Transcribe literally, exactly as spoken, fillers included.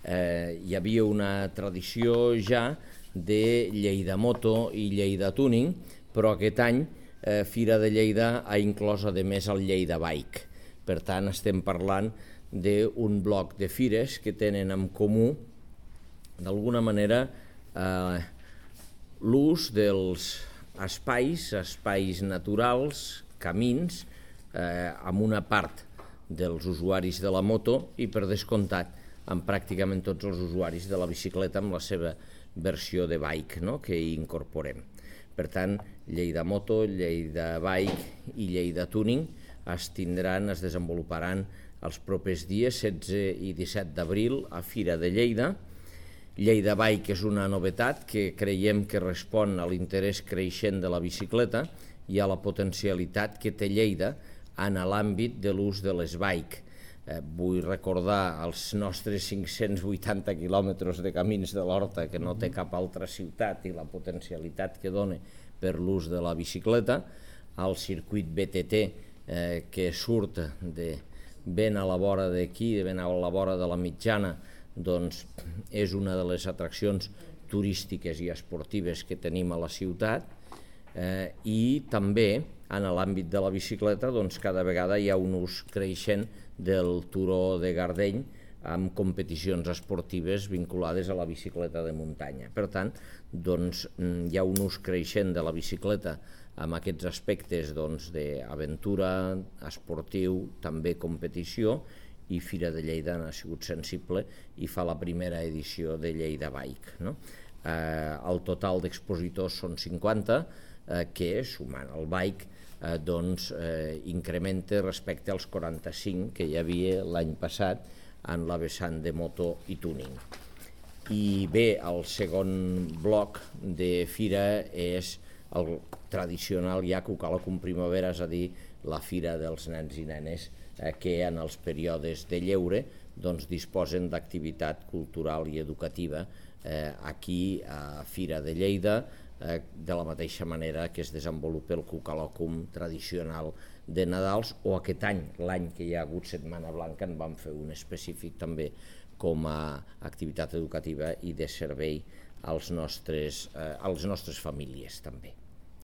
eh, hi havia una tradició ja de Lleida Moto i Lleida Tuning, però aquest any eh, Fira de Lleida ha inclòs a més el Lleida Bike. Per tant, estem parlant d'un bloc de fires que tenen en comú, d'alguna manera, eh, l'ús dels espais, espais naturals, camins, eh, amb una part dels usuaris de la moto i, per descomptat, amb pràcticament tots els usuaris de la bicicleta amb la seva versió de bike, no?, que hi incorporem. Per tant, Lleida Moto, Lleida Bike i Lleida Tuning es tindran, es desenvoluparan els propers dies setze i disset d'abril a Fira de Lleida. Lleida Bike és una novetat que creiem que respon a l'interès creixent de la bicicleta i a la potencialitat que té Lleida en l'àmbit de l'ús de les bike. Eh, vull recordar els nostres cinc-cents vuitanta quilòmetres de camins de l'Horta que no té cap altra ciutat i la potencialitat que dona per l'ús de la bicicleta, el circuit B T T eh, que surt de ben a la vora d'aquí, ben a la vora de la Mitjana, doncs és una de les atraccions turístiques i esportives que tenim a la ciutat, eh, i també en l'àmbit de la bicicleta doncs, cada vegada hi ha un ús creixent del turó de Gardeny amb competicions esportives vinculades a la bicicleta de muntanya. Per tant, doncs, hi ha un ús creixent de la bicicleta amb aquests aspectes doncs, d'aventura, esportiu, també competició, i Fira de Lleida ha sigut sensible i fa la primera edició de Lleida Bike. No? Eh, el total d'expositors són cinquanta, eh, que, sumant el bike, eh, doncs, eh, incrementa respecte als quaranta-cinc que hi havia l'any passat en la vessant de moto i tuning. I bé, el segon bloc de fira és el tradicional ja Cucalocum Primavera, és a dir, la fira dels nens i nenes eh, que en els períodes de lleure doncs, disposen d'activitat cultural i educativa eh, aquí a Fira de Lleida, eh, de la mateixa manera que es desenvolupa el Cucalocum tradicional de Nadals, o aquest any, l'any que hi ha hagut Setmana Blanca, en vam fer un específic també com a activitat educativa i de servei als nostres, eh, als nostres famílies també.